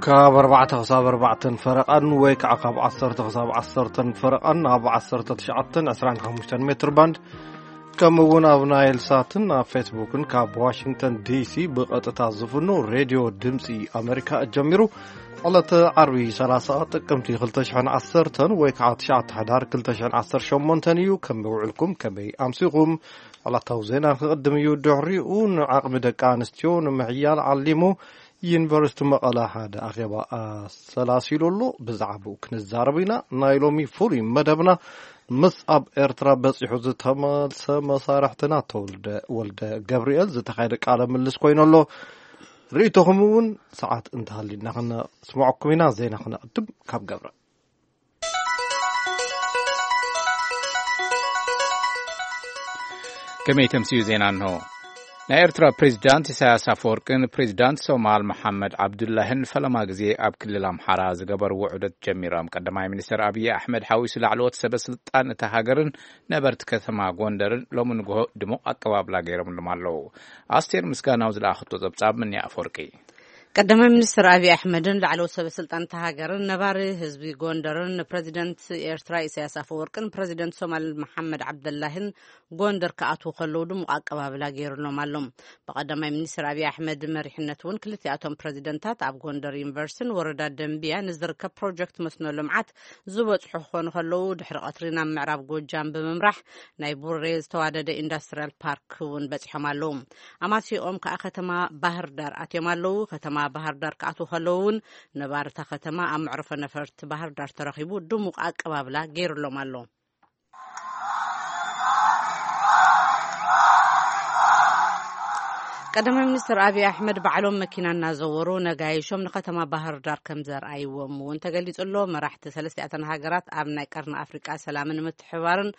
ካብ ኣርባዕተ ክሳብ ኣርባዕተን ፈረቓን ወይ ከዓ ካብ ዓሰርተ ክሳብ ዓሰርተን ፈረቓን ኣብ ዓሰርተ ትሽዓተን ዕስራን ሓሙሽተን ሜትር ባንድ፣ ከምኡ እውን ኣብ ናይል ሳትን ኣብ ፌስቡክን ካብ ዋሽንግተን ዲሲ ብቐጥታ ዝፍኖ ሬድዮ ድምፂ ኣሜሪካ ጀሚሩ። ዕለተ ዓርቢ ሰላሳ ጥቅምቲ ክልተ ሽሕን ዓሰርተን ወይ ከዓ ትሽዓተ ሕዳር ክልተ ሽሕን ዓሰርተ ሸሞንተን እዩ። ከመይ ውዕልኩም? ከመይ ኣምሲኹም? ዕለታዊ ዜና ክቕድም እዩ። ድሕሪኡ ንዓቕሚ ደቂ ኣንስትዮ ንምሕያል ዓሊሙ ዩኒቨርሲቲ መቐለ ሓደ ኣኼባ ኣሰላሲሉ ኣሎ። ብዛዕባኡ ክንዛረብ ኢና። ናይ ሎሚ ፍሉይ መደብና ምስ ኣብ ኤርትራ በጺሑ ዝተመልሰ መሳርሕትና ተወልደ ወልደ ገብርኤል ዝተኻየደ ቃለ ምልስ ኮይኑ ኣሎ። ርእይቶኹም እውን ሰዓት እንተሃሊና ክነስምዐኩም ኢና። ዜና ክነቕድም ካብ ገብረ። ከመይ ተምስዩ ዜና እንሆ። ናይ ኤርትራ ፕሬዚዳንት ኢሳያስ ኣፈወርቅን ፕሬዚዳንት ሶማል መሓመድ ዓብዱላህን ፈለማ ግዜ ኣብ ክልል ኣምሓራ ዝገበርዎ ዑደት ጀሚሮም። ቀዳማይ ሚኒስትር ኣብይ ኣሕመድ ሓዊሱ ላዕለዎት ሰበ ስልጣን እታ ሃገርን ነበርቲ ከተማ ጎንደርን ሎሚ ንግሆ ድሙቕ ኣቀባብላ ገይሮምሎም ኣለዉ። ኣስቴር ምስጋናው ዝለኣኸቶ ጸብጻብ ምንያ ኣፈወርቂ። ቀዳማይ ሚኒስትር ኣብይ ኣሕመድን ላዕለዎት ሰበ ስልጣን እታ ሃገርን ነባሪ ህዝቢ ጎንደርን ንፕሬዚደንት ኤርትራ ኢሳያስ ኣፈወርቅን ፕሬዚደንት ሶማል መሓመድ ዓብደላህን ጎንደር ክኣትዉ ከለዉ ድሙቕ ኣቀባብላ ገይሩሎም ኣሎ። ብቐዳማይ ሚኒስትር ኣብይ ኣሕመድ መሪሕነት እውን ክልቲኣቶም ፕሬዚደንታት ኣብ ጎንደር ዩኒቨርሲቲን ወረዳ ደንቢያ ንዝርከብ ፕሮጀክት መስኖ ልምዓት ዝበጽሑ ክኾኑ ከለዉ፣ ድሕሪ ቀትሪ ናብ ምዕራብ ጎጃም ብምምራሕ ናይ ቡሬ ዝተዋደደ ኢንዱስትሪያል ፓርክ እውን በጺሖም ኣለዉ። ኣማሲኦም ከኣ ከተማ ባህር ዳር ኣትዮም ኣለዉ። ከተማ ባህር ዳር ክኣትዉ ከለዉ እውን ነባርታ ከተማ ኣብ መዕርፎ ነፈርቲ ባህር ዳር ተረኺቡ ድሙቕ ኣቀባብላ ገይሩሎም ኣሎ። ቀዳማይ ሚኒስትር ኣብይ ኣሕመድ ባዕሎም መኪና እናዘወሩ ነጋይሾም ንከተማ ባህር ዳር ከም ዘርኣይዎም እውን ተገሊጹ ኣሎ። መራሕቲ ሰለስቲኣተን ሃገራት ኣብ ናይ ቀርኒ ኣፍሪቃ ሰላምን ምትሕባርን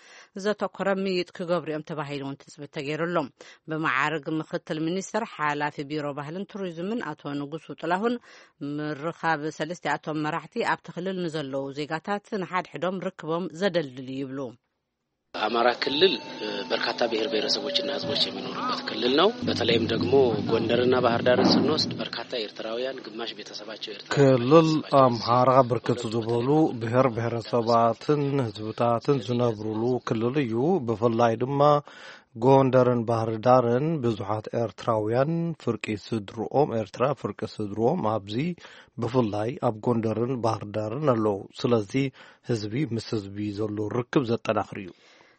ዘተኮረ ምይጥ ክገብሩ እዮም ተባሂሉ እውን ትጽቢት ተገይሩሎም። ብመዓርግ ምክትል ሚኒስትር ሓላፊ ቢሮ ባህልን ቱሪዝምን ኣቶ ንጉሱ ጥላሁን፣ ምርኻብ ሰለስቲኣቶም መራሕቲ ኣብቲ ክልል ንዘለዉ ዜጋታት ንሓድሕዶም ርክቦም ዘደልድል እዩ ይብሉ። አማራ ክልል በርካታ ብሔር ብሔረሰቦችና ህዝቦች የሚኖሩበት ክልል ነው። በተለይም ደግሞ ጎንደርና ባህር ዳርን ስንወስድ በርካታ ኤርትራውያን፣ ግማሽ ቤተሰባቸው ኤርትራ። ክልል አምሓራ ብርክት ዝበሉ ብሔር ብሔረሰባትን ህዝብታትን ዝነብሩሉ ክልል እዩ። ብፍላይ ድማ ጎንደርን ባህር ዳርን ብዙሓት ኤርትራውያን ፍርቂ ስድርኦም፣ ኤርትራ ፍርቂ ስድርኦም ኣብዚ ብፍላይ ኣብ ጎንደርን ባህር ዳርን ኣለዉ። ስለዚ ህዝቢ ምስ ህዝቢ ዘሎ ርክብ ዘጠናኽር እዩ።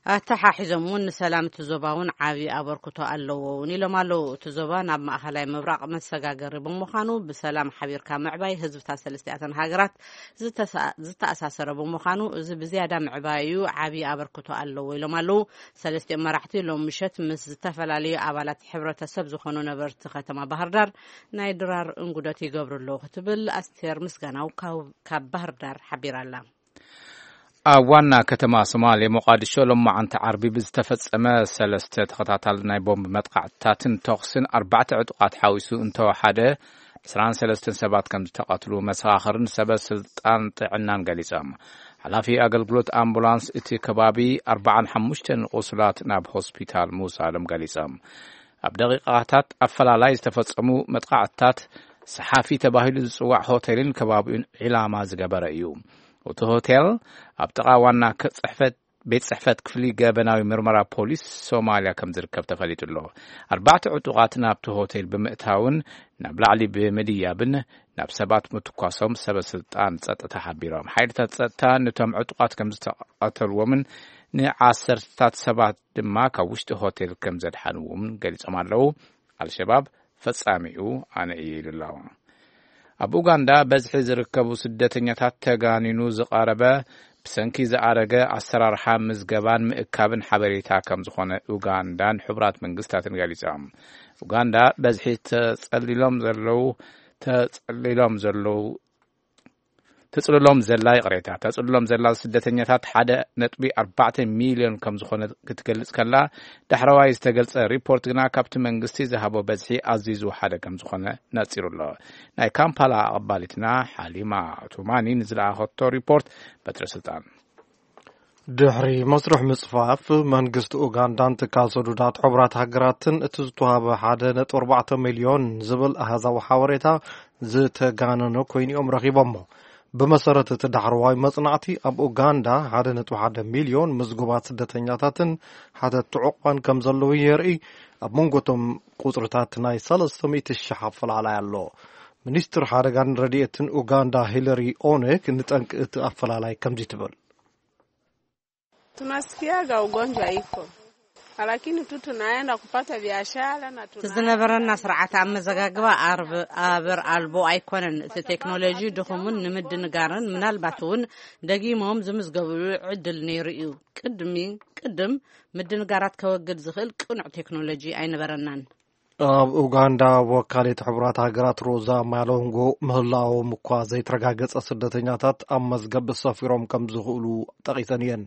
ኣተሓሒዞም እውን ንሰላም እቲ ዞባ እውን ዓብዪ ኣበርክቶ ኣለዎ እውን ኢሎም ኣለዉ። እቲ ዞባ ናብ ማእኸላይ ምብራቕ መሰጋገሪ ብምዃኑ ብሰላም ሓቢርካ ምዕባይ ህዝብታት ሰለስቲኣተን ሃገራት ዝተሳ-፣ ዝተኣሳሰረ ብምዃኑ እዚ ብዝያዳ ምዕባዩ ዓብዪ ኣበርክቶ ኣለዎ ኢሎም ኣለዉ። ሰለስቲኦም መራሕቲ ሎም ምሸት ምስ ዝተፈላለዩ ኣባላት ሕብረተሰብ ዝኾኑ ነበርቲ ከተማ ባህር ዳር ናይ ድራር እንጉደት ይገብሩ ኣለዉ ክትብል ኣስቴር ምስጋናው ካብ፣ ካብ ባህር ዳር ሓቢራ ኣላ። ኣብ ዋና ከተማ ሶማሌ ሞቃዲሾ ሎማዓንቲ ዓርቢ ብዝተፈጸመ ሰለስተ ተኸታታሊ ናይ ቦምብ መጥቃዕትታትን ተኹስን ኣርባዕተ ዕጡቓት ሓዊሱ እንተወሓደ ዕስራን ሰለስተን ሰባት ከም ዝተቐትሉ መሰኻኽርን ሰበ ስልጣን ጥዕናን ገሊጾም። ሓላፊ ኣገልግሎት ኣምቡላንስ እቲ ከባቢ ኣርባዓን ሓሙሽተን ቁሱላት ናብ ሆስፒታል ምውሳዶም ገሊጾም። ኣብ ደቂቃታት ኣፈላላይ ዝተፈጸሙ መጥቃዕትታት ሰሓፊ ተባሂሉ ዝጽዋዕ ሆቴልን ከባቢኡን ዒላማ ዝገበረ እዩ። እቲ ሆቴል ኣብ ጥቓ ዋና ከ-፣ ጽሕፈት፣ ቤት ጽሕፈት ክፍሊ ገበናዊ ምርመራ ፖሊስ ሶማልያ ከም ዝርከብ ተፈሊጡ ኣሎ። ኣርባዕተ ዕጡቓት ናብቲ ሆቴል ብምእታውን ናብ ላዕሊ ብምድያብን ናብ ሰባት ምትኳሶም ሰበ ስልጣን ጸጥታ ሓቢሮም። ሓይልታት ጸጥታ ነቶም ዕጡቓት ከም ዝተቐተልዎምን ንዓሰርተታት ሰባት ድማ ካብ ውሽጢ ሆቴል ከም ዘድሓንዎም ገሊጾም ኣለዉ። ኣልሸባብ ፈጻሚኡ ኣነ እየ ኢሉ ኣሎ። ኣብ ኡጋንዳ በዝሒ ዝርከቡ ስደተኛታት ተጋኒኑ ዝቐረበ ብሰንኪ ዝኣረገ ኣሰራርሓ ምዝገባን ምእካብን ሓበሬታ ከም ዝኾነ ኡጋንዳን ሕቡራት መንግስታትን ገሊጾም። ኡጋንዳ በዝሒ ተጸሊሎም ዘለዉ፣ ተጸሊሎም ዘለዉ፣ ተጽልሎም ዘላ፣ ይቕሬታ፣ ተጽልሎም ዘላ ስደተኛታት ሓደ ነጥቢ ኣርባዕተ ሚልዮን ከም ዝኾነ ክትገልጽ ከላ፣ ዳሕረዋይ ዝተገልጸ ሪፖርት ግና ካብቲ መንግስቲ ዝሃቦ በዝሒ ኣዝዩ ዝወሓደ ከም ዝኾነ ነጺሩ ኣሎ። ናይ ካምፓላ ኣቐባሊትና ሓሊማ ቱማኒ ንዝለኣኸቶ ሪፖርት በትረ ስልጣን። ድሕሪ መስርሕ ምጽፋፍ መንግስቲ ኡጋንዳን ትካል ሰዱዳት ሕቡራት ሃገራትን እቲ ዝተዋህበ ሓደ ነጥቢ ኣርባዕተ ሚልዮን ዝብል ኣሃዛዊ ሓበሬታ ዝተጋነነ ኮይኑ እዮም ረኺቦሞ። ብመሰረት እቲ ዳሕረዋይ መጽናዕቲ ኣብ ኡጋንዳ ሓደ ነጥቢ ሓደ ሚልዮን ምዝጉባት ስደተኛታትን ሓተትቲ ዕቑባን ከም ዘለዉ የርኢ። ኣብ መንጎ እቶም ቁጽርታት ናይ ሰለስተ ሚእቲ ሽሕ ኣፈላላይ ኣሎ። ሚኒስትር ሓደጋን ረድኤትን ኡጋንዳ ሂለሪ ኦኔክ ንጠንቂ እቲ ኣፈላላይ ከምዚ ትብል። Tunasikiaga ugonjwa iko, lakini tu tunaenda kupata biashara na እቲ ዝነበረና ስርዓት ኣመዘጋግባ ኣርብ ኣበር ኣልቦ ኣይኮነን። እቲ ቴክኖሎጂ ድኹምን ንምድንጋርን ምናልባት እውን ደጊሞም ዝምዝገብሉ ዕድል ነይሩ እዩ። ቅድሚ ቅድም ምድንጋራት ከወግድ ዝኽእል ቅኑዕ ቴክኖሎጂ ኣይነበረናን። ኣብ ኡጋንዳ ወካሊት ሕቡራት ሃገራት ሮዛ ማሎንጎ ምህላዎም እኳ ዘይተረጋገጸ ስደተኛታት ኣብ መዝገብ ሰፊሮም ከም ዝኽእሉ ጠቒሰን እየን።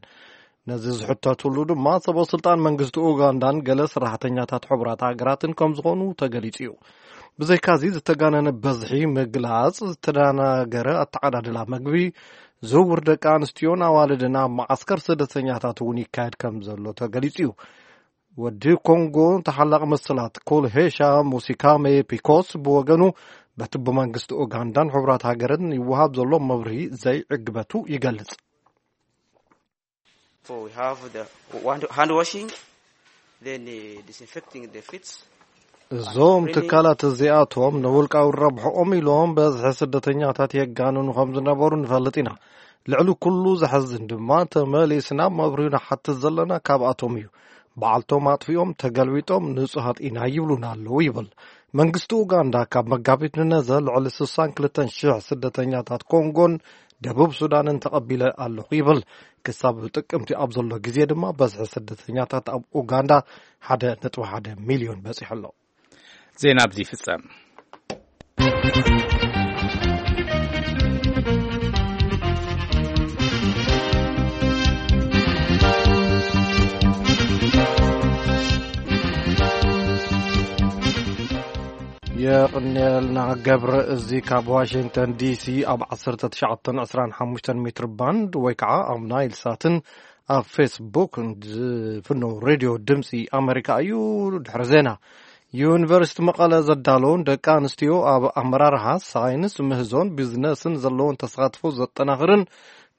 ነዚ ዝሕተትሉ ድማ ሰበ ስልጣን መንግስቲ ኡጋንዳን ገለ ሰራሕተኛታት ሕቡራት ሃገራትን ከም ዝኾኑ ተገሊጹ እዩ። ብዘይካዚ ዝተጋነነ በዝሒ ምግላጽ ዝተደናገረ ኣተዓዳድላ መግቢ፣ ዝውውር ደቂ ኣንስትዮን ኣዋልድን ኣብ መዓስከር ስደተኛታት እውን ይካየድ ከም ዘሎ ተገሊጹ እዩ። ወዲ ኮንጎ ተሓላቒ መሰላት ኮልሄሻ ሙሲካሜ ፒኮስ ብወገኑ በቲ ብመንግስቲ ኡጋንዳን ሕቡራት ሃገርን ይወሃብ ዘሎ መብርሂ ዘይዕግበቱ ይገልጽ። For we have the hand washing, then uh, disinfecting the feet. እዞም ትካላት እዚኣቶም ንውልቃዊ ረብሕኦም ኢሎም በዝሒ ስደተኛታት የጋንኑ ከም ዝነበሩ ንፈልጥ ኢና። ልዕሊ ኩሉ ዘሐዝን ድማ ተመሊስና መብርሂ ንሓትት ዘለና ካብኣቶም እዩ። በዓልቶም ኣጥፊኦም ተገልቢጦም ንጹሃት ኢና ይብሉና ኣለዉ ይብል። መንግስቲ ኡጋንዳ ካብ መጋቢት ንነዘ ልዕሊ ስሳን ክልተን ሽሕ ስደተኛታት ኮንጎን ደቡብ ሱዳንን ተቐቢለ ኣለኹ ይብል። ክሳብ ጥቅምቲ ኣብ ዘሎ ግዜ ድማ በዝሒ ስደተኛታት ኣብ ኡጋንዳ ሓደ ነጥቢ ሓደ ሚልዮን በጺሑ ኣሎ። ዜና ኣብዚ ይፍጸም። የቕንየልና ገብረ። እዚ ካብ ዋሽንግተን ዲሲ ኣብ ዓሰርተ ትሽዓተ ዕስራን ሓሙሽተን ሜትር ባንድ ወይ ከዓ ኣብ ናይል ሳትን ኣብ ፌስቡክ ዝፍነው ሬድዮ ድምፂ ኣሜሪካ እዩ። ድሕሪ ዜና፣ ዩኒቨርሲቲ መቐለ ዘዳለውን ደቂ ኣንስትዮ ኣብ ኣመራርሓ ሳይንስ ምህዞን ቢዝነስን ዘለውን ተሳትፎ ዘጠናኽርን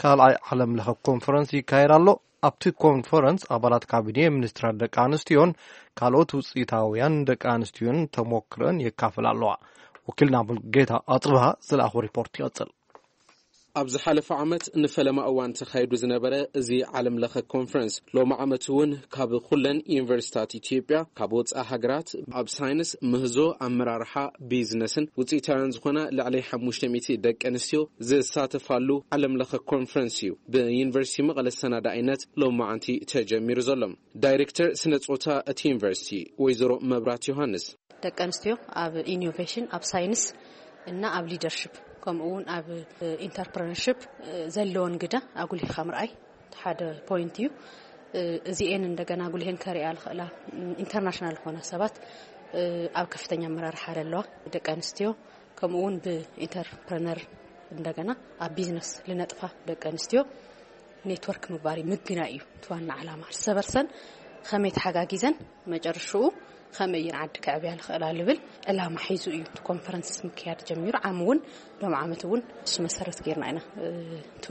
ካልኣይ ዓለም ለኸ ኮንፈረንስ ይካየድ ኣሎ። ኣብቲ ኮንፈረንስ ኣባላት ካቢኔ፣ ሚኒስትራት ደቂ ኣንስትዮን ካልኦት ውፅኢታውያን ደቂ ኣንስትዮን ተሞክረን የካፍላ ኣለዋ። ወኪልና ሙልጌታ ኣፅብሃ ዝለኣኹ ሪፖርት ይቐፅል። ኣብ ዝሓለፈ ዓመት ንፈለማ እዋን ተኻይዱ ዝነበረ እዚ ዓለም ለኸ ኮንፈረንስ ሎሚ ዓመት እውን ካብ ኩለን ዩኒቨርሲታት ኢትዮጵያ፣ ካብ ወፃኢ ሃገራት ኣብ ሳይንስ፣ ምህዞ፣ ኣመራርሓ፣ ቢዝነስን ውፅኢታውያን ዝኾና ልዕሊ ሓሙሽተ ሚእቲ ደቂ ኣንስትዮ ዝሳተፋሉ ዓለም ለኸ ኮንፈረንስ እዩ ብዩኒቨርሲቲ መቐለ ሰናዳኢነት ሎማዓንቲ ተጀሚሩ ዘሎ። ዳይሬክተር ስነ ፆታ እቲ ዩኒቨርሲቲ ወይዘሮ መብራት ዮሃንስ፣ ደቂ ኣንስትዮ ኣብ ኢኖቬሽን፣ ኣብ ሳይንስ እና ኣብ ሊደርሽፕ፣ ከምኡ እውን ኣብ ኢንተርፕረነርሽፕ ዘለወን ግደ ኣጉሊህካ ምርኣይ ሓደ ፖይንት እዩ። እዚኤን እንደገና ኣጉሊሀን ከሪኣ ዝኽእላ ኢንተርናሽናል ዝኾና ሰባት፣ ኣብ ከፍተኛ ኣመራርሓ ዘለዋ ደቂ ኣንስትዮ፣ ከምኡ እውን ብኢንተርፕረነር እንደገና ኣብ ቢዝነስ ዝነጥፋ ደቂ ኣንስትዮ ኔትወርክ ምግባር እዩ፣ ምግናይ እዩ እቲ ዋና ዓላማ። እርሰ በርሰን ከመይ ተሓጋጊዘን መጨረሽኡ ከመይ እየን ዓዲ ከዕብያ ዝኽእላ ዝብል ዕላማ ሒዙ እዩ እቲ ኮንፈረንስ ምክያድ ጀሚሩ። ዓም እውን ሎም ዓመት እውን እሱ መሰረት ጌርና ኢና፣ እ፣ እቲ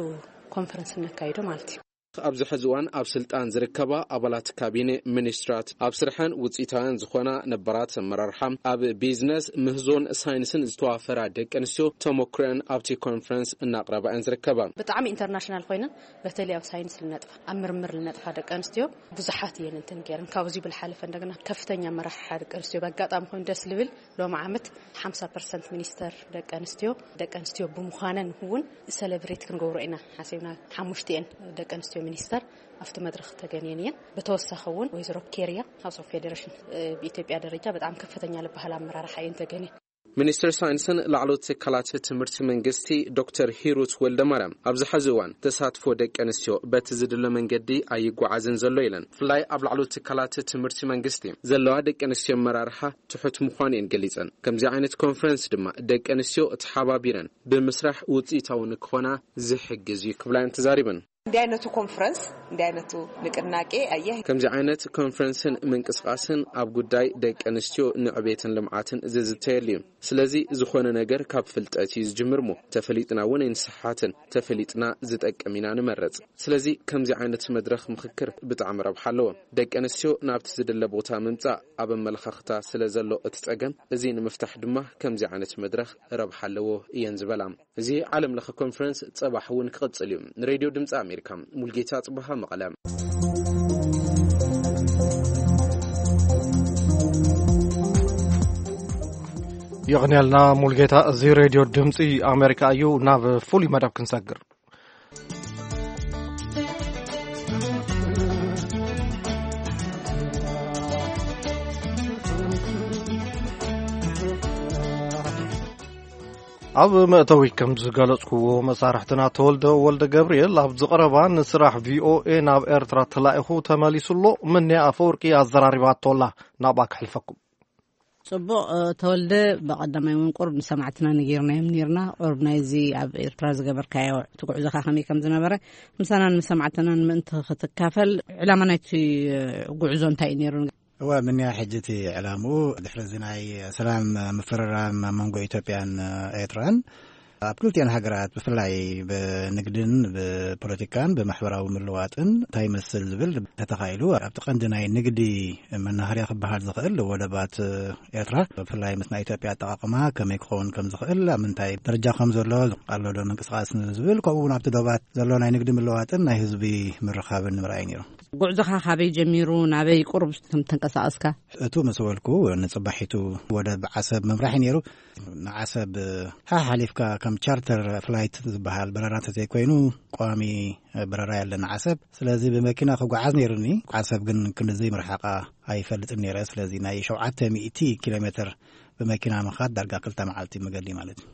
ኮንፈረንስ እነካይዶ ማለት እዩ። ኣብዚ ሕዚ እዋን ኣብ ስልጣን ዝርከባ ኣባላት ካቢነ፣ ሚኒስትራት፣ ኣብ ስርሐን ውፅኢታውያን ዝኾና ነባራት ኣመራርሓ፣ ኣብ ቢዝነስ፣ ምህዞን ሳይንስን ዝተዋፈራ ደቂ ኣንስትዮ ተመክሮአን ኣብቲ ኮንፈረንስ እናቕረባ እየን ዝርከባ። ብጣዕሚ ኢንተርናሽናል ኮይነን፣ በተለይ ኣብ ሳይንስ ልነጥፋ፣ ኣብ ምርምር ልነጥፋ ደቂ ኣንስትዮ ብዙሓት እየን እንትን ገይረን። ካብዚ ብልሓለፈ እንደገና ከፍተኛ ኣመራርሓ ደቂ ኣንስትዮ ብኣጋጣሚ ኮይኑ ደስ ልብል ሎም ዓመት ሓምሳ ፐርሰንት ሚኒስተር ደቂ ኣንስትዮ፣ ደቂ ኣንስትዮ ብምዃነን እውን ሰለብሬት ክንገብሮ ኢና ሓሲብና። ሓሙሽቲኤን ደቂ ኣንስትዮ ሚኒስተር ኣብቲ መድረኽ ተገንየን እየን። ብተወሳኺ እውን ወይዘሮ ኬርያ ሃውስ ኦፍ ፌዴሬሽን፣ እ፣ ብኢትዮጵያ ደረጃ በጣም ከፍተኛ ዝበሃል ኣመራርሓ እየን ተገንየን። ሚኒስትር ሳይንስን ላዕለዎት ትካላት ትምህርቲ መንግስቲ ዶክተር ሂሩት ወልደማርያም፣ ኣብዚ ሐዚ እዋን ተሳትፎ ደቂ ኣንስትዮ በቲ ዝድለ መንገዲ ኣይጓዓዝን ዘሎ ኢለን። ብፍላይ ኣብ ላዕለዎት ትካላት ትምህርቲ መንግስቲ ዘለዋ ደቂ ኣንስትዮ ኣመራርሓ ትሑት ምዃኑ እየን ገሊጸን። ከምዚ ዓይነት ኮንፈረንስ ድማ ደቂ ኣንስትዮ ተሓባቢረን ብምስራሕ ውፅኢታዊ ንክኾና ዝሕግዝ እዩ ክብላ እየን ተዛሪበን። እንዲህ አይነቱ ኮንፈረንስ፣ እንዲህ አይነቱ ንቅናቄ አየህ ከምዚ ዓይነት ኮንፈረንስን ምንቅስቃስን ኣብ ጉዳይ ደቂ ኣንስትዮ ንዕቤትን ልምዓትን ዝዝተየሉ እዩ። ስለዚ ዝኾነ ነገር ካብ ፍልጠት እዩ ዝጅምር እሞ ተፈሊጥና እውን ኣይንስሓትን። ተፈሊጥና ዝጠቅም ኢና ንመረፅ። ስለዚ ከምዚ ዓይነት መድረኽ ምኽክር ብጣዕሚ ረብሓ ኣለዎ። ደቂ ኣንስትዮ ናብቲ ዝድለ ቦታ ምምፃእ ኣብ ኣመለኻኽታ ስለ ዘሎ እቲ ፀገም እዚ ንምፍታሕ ድማ ከምዚ ዓይነት መድረኽ ረብሓ ኣለዎ እየን ዝበላ። እዚ ዓለም ለኸ ኮንፈረንስ ፀባሕ እውን ክቕፅል እዩ። ንሬድዮ ድምፂ ኣሜሪካ፣ ሙልጌታ ጽብሃ፣ መቐለ። የቕንየልና ሙልጌታ። እዚ ሬድዮ ድምፂ ኣሜሪካ እዩ። ናብ ፍሉይ መደብ ክንሰግር። ኣብ መእተዊ ከም ዝገለጽኩዎ፣ መሳርሕትና ተወልደ ወልደ ገብርኤል ኣብዚ ቀረባ ንስራሕ ቪኦኤ ናብ ኤርትራ ተላኢኹ ተመሊሱ ኣሎ። ምንያ ኣፈወርቂ ኣዘራሪባቶ ኣላ። ናብኣ ከሕልፈኩም። ጽቡቕ። ተወልደ፣ ብቐዳማይ እውን ቁሩብ ንሰማዕትና ነጊርናዮም ነርና። ቁሩብ ናይዚ ኣብ ኤርትራ ዝገበርካዮ እቲ ጉዕዞኻ ከመይ ከም ዝነበረ ምሳናን ምስ ሰማዕትናን ምእንቲ ክትካፈል፣ ዕላማ ናይቲ ጉዕዞ እንታይ እዩ ነይሩ? እወ፣ ምንያ ሕጂ እቲ ዕላምኡ ድሕሪ እዚ ናይ ሰላም ምፍርራም ኣብ መንጎ ኢትዮጵያን ኤርትራን ኣብ ክልቲኤን ሃገራት ብፍላይ ብንግድን ብፖለቲካን ብማሕበራዊ ምልዋጥን እንታይ ይመስል ዝብል ተተኻኢሉ ኣብቲ ቀንዲ ናይ ንግዲ መናኸርያ ክበሃል ዝኽእል ወደባት ኤርትራ ብፍላይ ምስ ናይ ኢትዮጵያ ኣጠቓቕማ ከመይ ክኸውን ከም ዝኽእል ኣብ ምንታይ ደረጃ ከም ዘሎ ኣሎ ዶ ምንቅስቃስ ዝብል ከምኡ እውን ኣብቲ ዶባት ዘሎ ናይ ንግዲ ምልዋጥን ናይ ህዝቢ ምርኻብን ንምርኣይ ነይሩ። ጉዕዞኻ ካበይ ጀሚሩ ናበይ ቁሩብ ከም ተንቀሳቐስካ? እቱ ምስ በልኩ ንጽባሒቱ ወደብ ዓሰብ ምምራሕ እዩ ነይሩ። ንዓሰብ ሓሓሊፍካ ከም ቻርተር ፍላይት ዝበሃል በረራ እንተዘይኮይኑ ቋሚ በረራ የለን ዓሰብ። ስለዚ ብመኪና ክጓዓዝ ነይሩኒ። ዓሰብ ግን ክንድዚ ምርሓቓ ኣይፈልጥን ነይረ። ስለዚ ናይ ሸውዓተ ሚእቲ ኪሎ ሜትር ብመኪና ምኻድ ዳርጋ ክልተ መዓልቲ መገዲ ማለት እዩ።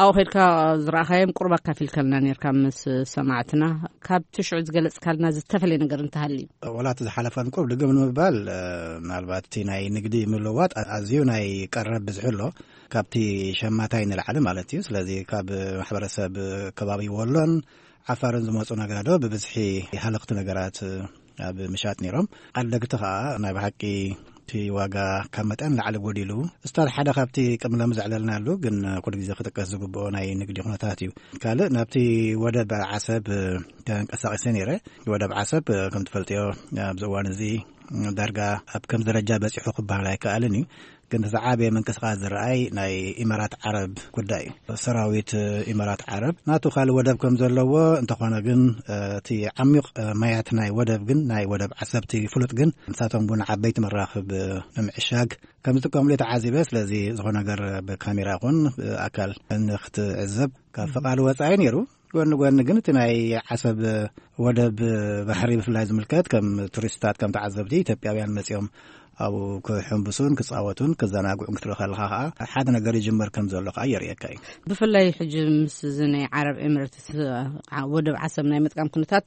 ኣብኡ ከድካ ዝረኣኻዮም ቁሩብ ኣካፊልከልና ነርካ ምስ ሰማዕትና። ካብቲ ሽዑ ዝገለጽካልና ዝተፈለየ ነገር እንተሃልዩ? ወላ እቲ ዝሓለፈን ቁሩብ ድግም ንምባል ምናልባት እቲ ናይ ንግዲ ምልዋጥ ኣዝዩ ናይ ቀረብ ብዝሒ ኣሎ፣ ካብቲ ሸማታይ ንላዕሊ ማለት እዩ። ስለዚ ካብ ማሕበረሰብ ከባቢ ወሎን ዓፋርን ዝመፁ ነጋዶ ብብዝሒ ሃለኽቲ ነገራት ኣብ ምሻጥ ነይሮም። ዓደግቲ ከዓ ናይ ብሓቂ እቲ ዋጋ ካብ መጠን ላዕሊ ጎዲሉ፣ ስታል ሓደ ካብቲ ቅድሚ ሎሚ ዘዕለልናሉ ግን ኩሉ ግዜ ክጥቀስ ዝግብኦ ናይ ንግዲ ኩነታት እዩ። ካልእ ናብቲ ወደብ ዓሰብ ተንቀሳቂሰ ነይረ። ወደብ ዓሰብ ከም ትፈልጥዮ ኣብዚ እዋን እዚ ዳርጋ ኣብ ከም ደረጃ በፂሑ ክበሃል ኣይከኣልን እዩ። ግን እቲ ዝዓበየ ምንቅስቃስ ዝረኣይ ናይ ኢማራት ዓረብ ጉዳይ እዩ። ሰራዊት ኢማራት ዓረብ ናቱ ካልእ ወደብ ከም ዘለዎ እንተኾነ ግን እቲ ዓሚቕ ማያት ናይ ወደብ ግን ናይ ወደብ ዓሰብቲ ፍሉጥ ግን ንሳቶም እውን ዓበይቲ መራኽብ ንምዕሻግ ከም ዝጥቀምሉ ተዓዚበ። ስለዚ ዝኾነ ነገር ብካሜራ ይኹን ብኣካል ንክትዕዘብ ካብ ፈቃድ ወፃኢ ነይሩ። ጎኒ ጎኒ ግን እቲ ናይ ዓሰብ ወደብ ባሕሪ ብፍላይ ዝምልከት ከም ቱሪስትታት ከም ተዓዘብቲ ኢትዮጵያውያን መፂኦም ኣብኡ ክሕንብሱን ክፃወቱን ክዘናግዑን ክትርኢ ከለካ ከዓ ሓደ ነገር ይጅመር ከም ዘሎ ከዓ የርእየካ እዩ። ብፍላይ ሕጂ ምስ እዚ ናይ ዓረብ ኤምሬትስ ወደብ ዓሰብ ናይ ምጥቃም ኩነታት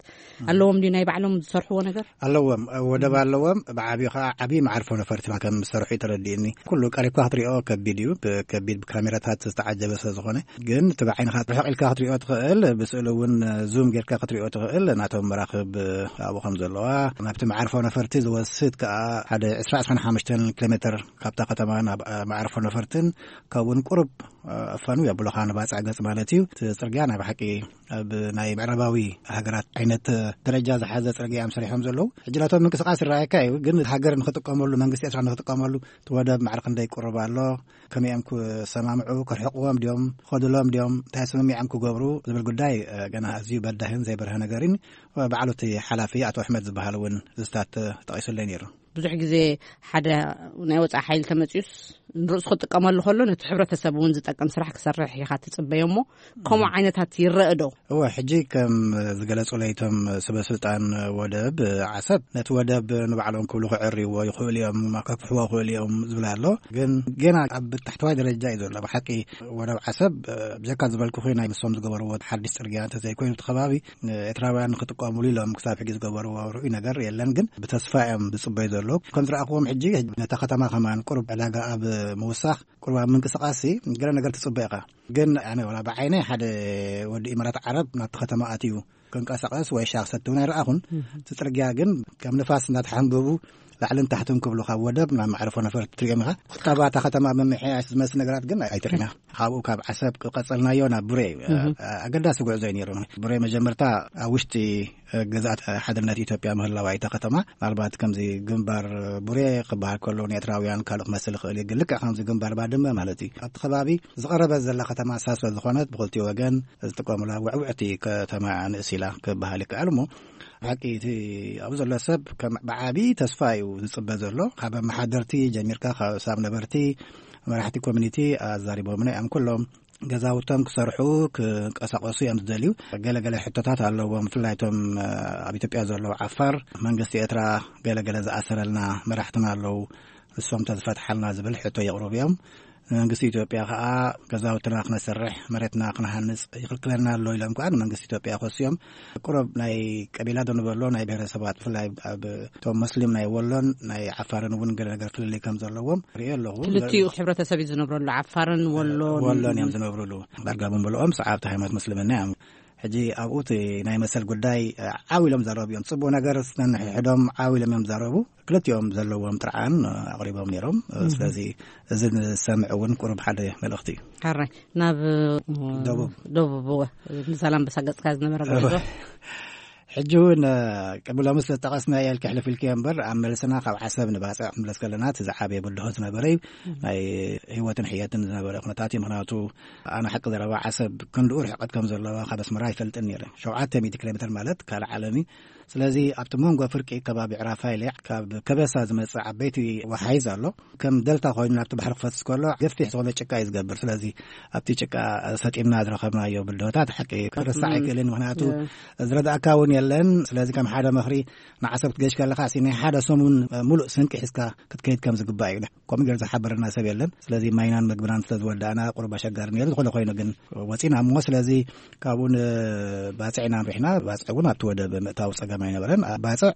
ኣለዎም ድዩ? ናይ ባዕሎም ዝሰርሕዎ ነገር ኣለዎም። ወደብ ኣለዎም። ብዓብዩ ከዓ ዓብዪ መዓርፎ ነፈርቲ ከም ዝሰርሑ እዩ ተረዲእኒ። ኩሉ ቀሪብካ ክትሪኦ ከቢድ እዩ። ብከቢድ ብካሜራታት ዝተዓጀበ ስለ ዝኾነ ግን እቲ ብዓይንኻ ርሕቕ ኢልካ ክትሪኦ ትኽእል፣ ብስእሊ እውን ዙም ጌርካ ክትሪኦ ትኽእል። ናቶም መራኽብ ኣብኡ ከም ዘለዋ ናብቲ መዓርፎ ነፈርቲ ዝወስድ ከዓ ሓደ ዕስራ ዕስራን ሓሙሽተን ኪሎ ሜትር ካብታ ከተማ ናብ መዓርፎ ነፈርትን ካብኡን ቁሩብ ኣፋኑ የብሎኻ ንባፅዕ ገፅ ማለት እዩ። እቲ ፅርግያ ናይ ብሓቂ ኣብ ናይ ምዕራባዊ ሃገራት ዓይነት ደረጃ ዝሓዘ ፅርግያ እዮም ሰሪሖም ዘለዉ። ሕጂ ናቶም ምንቅስቃስ ይረኣየካ እዩ፣ ግን ሃገር ንክጥቀመሉ መንግስቲ ኤርትራ ንክጥቀመሉ እቲ ወደብ ማዕረ ክንደይ ይቁርብ ኣሎ፣ ከመይ እዮም ክሰማምዑ፣ ክርሕቅዎም ድዮም፣ ክኸድሎም ድዮም፣ እንታይ ስምሚዖም ክገብሩ ዝብል ጉዳይ ገና ኣዝዩ በዳህን ዘይበርሀ ነገር እዩ። ባዕሉ እቲ ሓላፊ ኣቶ ኣሕመድ ዝበሃል እውን ዝስታት ተጠቂሱለይ ነይሩ። ብዙሕ ግዜ ሓደ ናይ ወፃኢ ሓይሊ ተመፅዩስ ንርእሱ ክጥቀመሉ ከሎ ነቲ ሕብረተሰብ እውን ዝጠቅም ስራሕ ክሰርሕ ኢኻ ትፅበዮ እሞ ከምኡ ዓይነታት ይረአ ዶ? እወ፣ ሕጂ ከም ዝገለጹ ለይቶም ስበ ስልጣን ወደብ ዓሰብ ነቲ ወደብ ንባዕሎም ክብሉ ክዕርይዎ ይኽእሉ እዮም፣ ከፍሕዎ ይኽእሉ እዮም ዝብል ኣሎ። ግን ገና ኣብ ታሕተዋይ ደረጃ እዩ ዘሎ። ብሓቂ ወደብ ዓሰብ ብጀካ ዝበልኩ ናይ ንሶም ዝገበርዎ ሓድሽ ፅርግያ እንተዘይኮይኑ እቲ ከባቢ ኤርትራውያን ንክጥቀሙሉ ኢሎም ክሳብ ሕጂ ዝገበርዎ ርኡይ ነገር የለን። ግን ብተስፋ እዮም ዝፅበዩ ዘለዉ። ከም ዝረኣኽዎም ሕጂ ነታ ከተማ ከማን ቁሩብ ዕዳጋ ኣብ ምውሳኽ ቁሩብ ኣብ ምንቅስቃስ ገለ ነገር ትፅበ ኢኻ። ግን ኣነ ወላ ብዓይነይ ሓደ ወዲ ኢማራት ዓረብ ናብቲ ከተማ ኣትዩ ክንቀሳቐስ ወይ ሻቕ ሰትውን ኣይረኣኹን። እቲ ጽርግያ ግን ከም ንፋስ እናተሓንበቡ ላዕልን ታሕትን ክብሉ ካብ ወደብ ናብ መዕረፎ ነፈርቲ ትሪኦም ኢኻ። ቁጠባ እታ ከተማ ምምሕያሽ ዝመስል ነገራት ግን ኣይትርእና። ካብኡ ካብ ዓሰብ ቀጸልናዮ ናብ ቡሬ እዩ። ኣገዳሲ ጉዕዞ እዩ ነይሩ። ቡሬ መጀመርታ ኣብ ውሽጢ ግዛት ሓድነት ኢትዮጵያ ምህላዋ እታ ከተማ፣ ምናልባት ከምዚ ግንባር ቡሬ ክበሃል ከሎ ንኤርትራውያን ካልእ ክመስል ይኽእል እዩ፣ ግን ልክዕ ከምዚ ግንባር ባድመ ማለት እዩ። ኣብቲ ከባቢ ዝቐረበት ዘላ ከተማ ሳሶ ዝኾነት ብኽልቲኡ ወገን ዝጥቀሙላ ውዕውዕቲ ከተማ ንእስ ኢላ ክበሃል ይከኣል። እሞ ብሓቂ እቲ ኣብኡ ዘሎ ሰብ ከም ብዓቢ ተስፋ እዩ ዝጽበ ዘሎ። ካብ ኣመሓደርቲ ጀሚርካ፣ ካብ ሳብ ነበርቲ መራሕቲ ኮሚኒቲ ኣዛሪቦምና እዮም። ኩሎም ገዛውቶም ክሰርሑ ክንቀሳቐሱ እዮም ዝደልዩ። ገለገለ ሕቶታት ኣለዎም። ብፍላይ እቶም ኣብ ኢትዮጵያ ዘለዉ ዓፋር፣ መንግስቲ ኤርትራ ገለገለ ዝኣሰረልና መራሕትና ኣለዉ፣ ንሶም ተዝፈትሓልና ዝብል ሕቶ የቕርቡ እዮም። ንመንግስቲ ኢትዮጵያ ከኣ ገዛውትና ክነሰርሕ፣ መሬትና ክንሃንጽ ይኽልክለና ኣሎ ኢሎም ከኣ ንመንግስቲ ኢትዮጵያ ከስዮም። ቁሩብ ናይ ቀቢላ ዶ ንበሎ፣ ናይ ብሄረሰባት፣ ብፍላይ ኣብ እቶም ሙስሊም ናይ ወሎን ናይ ዓፋርን እውን ገለ ነገር ፍልልይ ከም ዘለዎም ርእየ ኣለኹ። ክልቲኡ ሕብረተሰብ እዩ ዝነብረሉ፣ ዓፋርን ወሎን። ወሎን እዮም ዝነብሩሉ። ዳርጋ ብምልኦም ሰዓብቲ ሃይማኖት ምስልምና እዮም። ሕጂ ኣብኡ እቲ ናይ መሰል ጉዳይ ዓው ኢሎም ዛረቡ እዮም። ጽቡቕ ነገር ነንሕድሕዶም ዓው ኢሎም እዮም ዛረቡ። ክልቲኦም ዘለዎም ጥርዓን ኣቕሪቦም ነይሮም። ስለዚ እዚ ንሰምዕ እውን ቁሩብ ሓደ መልእኽቲ እዩ። ሕራይ ናብ ደቡብ። ደቡብ፣ እወ፣ ንዛላምበሳ ገጽካ ዝነበረ ጉዕዞ። ሕጂ እውን ቅድሚ ሎሚ ስለ ዝጠቐስናዮ ኢልኪ ሕልፍ ኢልኪዮ እምበር፣ ኣብ መልስና ካብ ዓሰብ ንባጽዕ ክንምለስ ከለና እቲ ዝዓበየ ብድሆ ዝነበረ እዩ። ናይ ህይወትን ሕየትን ዝነበረ ኩነታት እዩ። ምኽንያቱ ኣነ ሓቂ ዘረባ ዓሰብ ክንድኡ ርሕቀት ከም ዘለዋ ካብ ኣስመራ ኣይፈልጥን ነይረ። ሸውዓተ ሚእቲ ኪሎ ሜትር ማለት ካልእ ዓለም እዩ። ስለዚ ኣብቲ መንጎ ፍርቂ ከባቢ ዕራፋይለ ካብ ከበሳ ዝመጽእ ዓበይቲ ወሓይዝ ኣሎ። ከም ደልታ ኮይኑ ናብቲ ባሕሪ ክፈስስ ከሎ ገፊሕ ዝኾነ ጭቃ እዩ ዝገብር። ስለዚ ኣብቲ ጭቃ ሰጢምና ዝረኸብናዮ ብድሆታት ሓቂ ክርሳዕ ኣይክእልን። ምኽንያቱ ዝረዳእካ እውን የለን። ስለዚ ከም ሓደ ምኽሪ ንዓሰብ ክትገሽ ከለኻ፣ ሲ ናይ ሓደ ሰሙን ሙሉእ ስንቂ ሒዝካ ክትከይድ ከም ዝግባእ እዩ። ከምኡ ገይሩ ዝሓበረና ሰብ የለን። ስለዚ ማይናን መግብናን ስለ ዝወዳእና ቁሩብ ኣሸጋሪ ነይሩ። ዝኾነ ኮይኑ ግን ወፂና እሞ፣ ስለዚ ካብኡ ንባፅዕ ኢና ኣምሪሕና። ባፅዕ እውን ኣብቲ ወደብ ምእታው ፀገም ኣይነበረን። ባፅዕ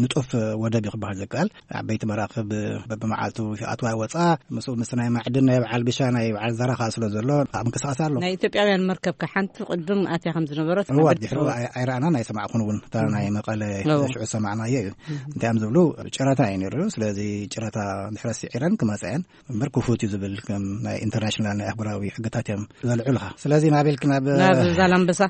ንጡፍ ወደብ እዩ ክበሃል ዝከኣል። ዓበይቲ መራኽብ በብመዓልቱ ይኣትዋ ይወፃ። ምስኡ ምስ ናይ ማዕድን ናይ በዓል ቢሻ ናይ በዓል ዛራ ከዓ ስለ ዘሎ ኣብ ምንቅስቃስ ኣሎ። ናይ ኢትዮጵያውያን መርከብ ከ ሓንቲ ቅድም ኣትያ ከም ዝነበረት እዋ፣ ናብ ድሕሩ ኤርትራ ኣይ-፣ ኣይረኣናን ኣይሰማዕኩን እውን። እታ ናይ መቐለ እዎ። ሽዑ ዝሰማዕናዮ እዩ። እንታይ እዮም ዝብሉ? ጨረታ እዩ ነይሩ። ስለዚ ጨረታ እንድሕር ስዒረን ክመፃ እየን እምበር ክፉት እዩ ዝብል ከም ናይ ኢንተርናሽናል ናይ ኣህጉራዊ ሕግታት እዮም ዘልዕሉኻ። ስለዚ ናበይ ኢልክ ናብ ናብ ዛላምበሳ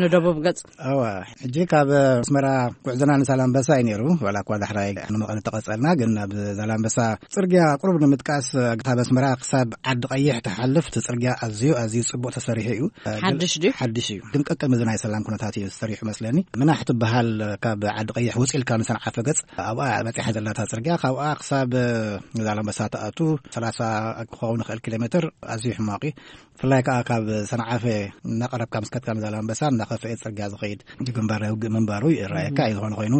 ንደቡብ ገጽ። እዋ፣ ሕጂ ካብ ኣስመራ ጉዕዞና ንዛላምበሳ እዩ ነይሩ። ዋላ እኳ ዳሕራይ ንመቐለ ተቐጸልና፣ ግን ናብ ዛላምበሳ ጽርግያ ቁሩብ ንምጥቃስ፣ ካብ ኣስመራ ክሳብ ዓዲ ቀይሕ ትሓልፍ እቲ ጽርግያ ኣዝዩ፣ ኣዝዩ ጽቡቕ ተሰሪሑ እዩ። ሓድሽ ድዩ? ሓድሽ እዩ። ግን ቀቅድሚ እዚ ናይ ሰላም ኩነታት እዩ ተሰሪሑ መስለኒ። ምናሕ ትበሃል ካብ ዓዲ ቀይሕ ውጽእ ኢልካ ንሰንዓፈ ገጽ ኣብኣ በጺሓ ዘላታ ጽርግያ፣ ካብኣ ክሳብ ዛላምበሳ ትኣቱ ሰላሳ ክኸውን ይኽእል ኪሎ ሜትር ኣዝዩ ሕማቕ እዩ። ብፍላይ ከኣ ካብ ሰንዓፈ እናቐረብካ ምስ ከድካ ንዛላምበሳ እናኸፍኤ ጽርግያ ዝኸይድ ግንባር ናይ ውግእ ምንባሩ ይረኣየካ እዩ። ዝኾነ ኮይኑ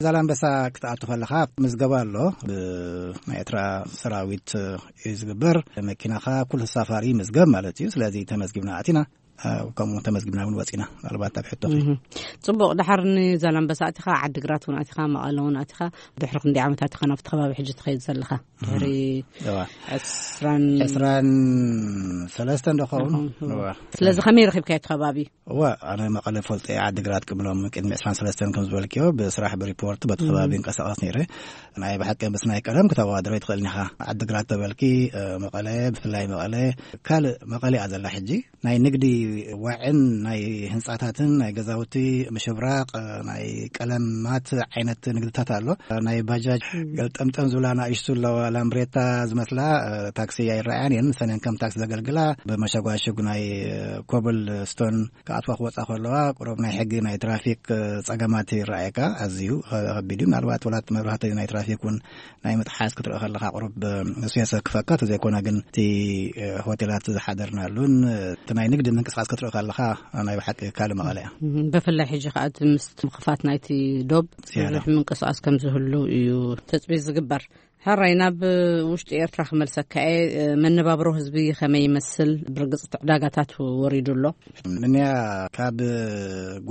ዛላምበሳ ክትኣቱ ከለኻ ምዝገባ ኣሎ። ብናይ ኤርትራ ሰራዊት እዩ ዝግበር። መኪናኻ ኩሉ ተሳፋሪ ይምዝገብ ማለት እዩ። ስለዚ ተመዝጊብና ኣቲና፣ ከምኡ ተመዝጊብና እውን ወፂና። ምናልባት ኣብ ሕቶኺ። እህ። ጽቡቕ፣ ድሓር ንዛላምበሳ ኣቲኻ፣ ዓዲግራት እውን ኣቲኻ፣ መቐለ እውን ኣቲኻ፣ ድሕሪ ክንደይ ዓመታት ኢኻ ናብቲ ከባቢ ሕጂ ትኸይድ ዘለኻ? ድሕሪ እዋ። ዕስራን ዕስራን ሰለስተን ዶ ኸውን? እዋ። ስለዚ ከመይ ረኺብካዮ እቲ ከባቢ? እዋ፣ ኣነ መቐለ ፈልጦ እየ፣ ዓዲግራት ቅብሎም ቅድሚ ዕስራን ሰለስተን ከም ዝበልክዮ ብስራሕ ብሪፖርት በቲ ከባቢ እም። እንቀሳቐስ ነይረ። ናይ ብሓቂ ምስ ናይ ቀደም ክተወዳድሮ ኣይትኽእልን ኢኻ። ዓዲግራት ተበልኪ፣ እ፣ መቐለ፣ ብፍላይ መቐለ፣ ካልእ መቐለ እያ ዘላ ሕጂ። ናይ ንግዲ ዋዕን ናይ ህንጻታትን ናይ ገዛውቲ ምሽብራቕ፣ ናይ ቀለማት ዓይነት ንግድታት ኣሎ። ናይ ባጃጅ እም። ገልጠምጠም ዝብላ ንኣሽቱ ኣለዋ፣ ላምብሬታ ዝመስላ፣ ታክሲ ኣይረኣያን እየን። ንሰን ከም ታክሲ ዘገልግላ፣ ብመሸጓሽጉ ናይ ኮብል ስቶን ክኣትዋ ክወጻ ከለዋ፣ ቁሩብ ናይ ሕጊ ናይ ትራፊክ ጸገማት ይረኣየካ። ኣዝዩ ከቢድ እዩ። ምናልባት ወላት መብራህቲ ናይ ትራፊክ እውን ናይ ምጥሓስ ክትርኢ ከለኻ ቁሩብ ንሱ የሰክፈካ። ተዘይኮነ ግን እቲ ሆቴላት ዝሓደርናሉን እቲ ናይ ንግዲ ምንቅስቃስ ክትርኢ ከለኻ ናይ ብሓቂ ካልእ መቐለ እያ። እም፣ ብፍላይ ሕጂ ከኣ እቲ ምስ ምኽፋት ናይቲ ዶብ ዝያዳ። ብዙሕ ምንቅስቃስ ከም ዝህሉ እዩ ተጽቢት ዝግበር። ሕራይ ናብ ውሽጢ ኤርትራ ክመልሰካ እየ። መነባብሮ ህዝቢ ከመይ ይመስል? ብርግጽ ዕዳጋታት ወሪዱ ኣሎ። ምንያ ካብ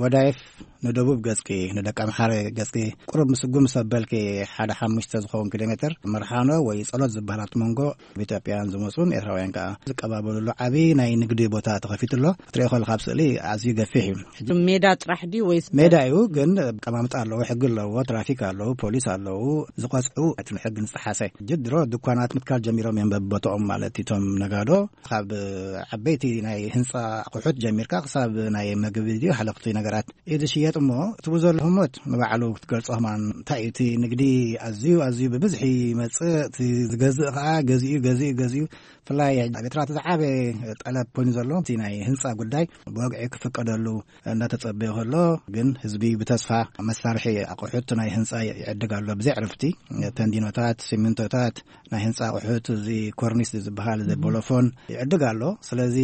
ጎዳይፍ ንደቡብ ገጽኪ፣ ንደቂ ኣምሓረ ገጽኪ፣ ቁሩብ ምስጉም ሰበልኪ ሓደ ሓሙሽተ ዝኸውን ኪሎ ሜትር ምርሓኖ ወይ ጸሎት ዝበሃል ኣብቲ መንጎ ኣብ ኢትዮጵያን ዝመጹን ኤርትራውያን ከኣ ዝቀባበሉሉ ዓቢ ናይ ንግዲ ቦታ ተኸፊቱ ኣሎ። ክትሪኦ ከለኻ ኣብ ስእሊ ኣዝዩ ገፊሕ እዩ። ሜዳ ጥራሕ ድዩ ወይስ ሜዳ እዩ፣ ግን ኣቀማምጣ ኣለዎ፣ ሕጊ ኣለዎ፣ ትራፊክ ኣለዉ፣ ፖሊስ ኣለዉ፣ ዝቐጽዑ እቲ ንሕጊ ዝጠሓሰ። ሕጂ ድሮ ድኳናት ምትካል ጀሚሮም እዮም በብቦታኦም፣ ማለት እቶም ነጋዶ ካብ ዓበይቲ ናይ ህንጻ ኣቑሑት ጀሚርካ ክሳብ ናይ መግቢ ድዩ ሓለኽቲ ነገራት እዩ ዝሽየጥ። እሞ እቲ ዘሎ ህሞት ንባዕሉ ክትገልጾ ከማን እንታይ እዩ፣ እቲ ንግዲ ኣዝዩ ኣዝዩ ብብዝሒ ይመጽእ፣ እቲ ዝገዝእ ከኣ ገዚኡ ገዚኡ ገዚኡ። ብፍላይ ኣብ ኤርትራ እቲ ዝዓበየ ጠለብ ኮይኑ ዘሎ እቲ ናይ ህንጻ ጉዳይ ብወግዒ ክፍቀደሉ እንዳተጸበየ ከሎ፣ ግን ህዝቢ ብተስፋ መሳርሒ ኣቑሑት ናይ ህንጻ ይዕድግ ኣሎ። ብዘይ ዕርፍቲ ተንዲኖታት፣ ሲሚንቶታት፣ ናይ ህንጻ ኣቑሑት፣ እዚ ኮርኒስ ዝበሃል፣ እዚ ቦሎፎን ይዕድግ ኣሎ። ስለዚ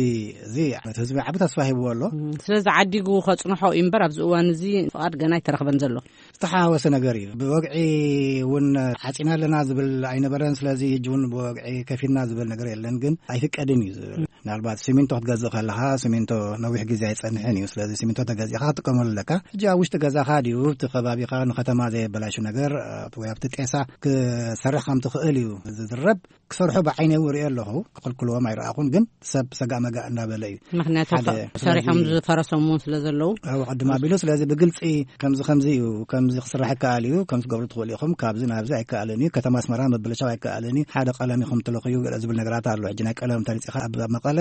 እዚ ነቲ ህዝቢ ዓቢ ተስፋ ሂብዎ ኣሎ። እም፣ ስለዚ ዓዲጉ ከጽንሖ እዩ እምበር ኣብዚ እዋን እዚ ፍቓድ ገና ኣይተረኽበን ዘሎ። ዝተሓዋወሰ ነገር እዩ። ብወግዒ እውን ዓጺና ኣለና ዝብል ኣይነበረን። ስለዚ ሕጂ እውን ብወግዒ ከፊልና ዝብል ነገር የለን፣ ግን ኣይፍቀድን እዩ ዝብል። ምናልባት ሲሚንቶ ክትገዝእ ከለኻ፣ ሲሚንቶ ነዊሕ ግዜ ኣይጸንሕን እዩ። ስለዚ ሲሚንቶ ተገዚእካ ክትጥቀመሉ ኣለካ። ሕጂ ኣብ ውሽጢ ገዛኻ ድዩ፣ ኣብቲ ከባቢኻ ንከተማ ዘየበላሹ ነገር፣ እ፣ ወይ ኣብቲ ጤሳ ክሰርሕ ከም ትኽእል እዩ ዝዝረብ። ክሰርሑ ብዓይነይ እውን ሪኦ ኣለኹ። ክኽልክልዎም ኣይረኣኹን፣ ግን ሰብ ሰጋእ መጋእ እንዳበለ እዩ። ምኽንያቱ ሓደ፣ ሰሪሖም ስለዚ ዝፈረሶም እውን ስለ ዘለዉ። ኣብ ቅድም ኣቢሉ፣ ስለዚ ብግልጺ ከምዚ ከምዚ እዩ፣ ከምዚ ክስራሕ ይከኣል እዩ፣ ከምዚ ትገብሩ ትኽእሉ ኢኹም፣ ካብዚ ናብዚ ኣይከኣልን እዩ፣ ከተማ ኣስመራ ምብልሻው ኣይከኣልን እዩ፣ ሓደ ቀለም ኢኹም ትለኽዩ፣ ገለ ዝብል ነገራት ኣሎ። ሕጂ ናይ ቀለም ተነጺኻ ኣብ መቐለ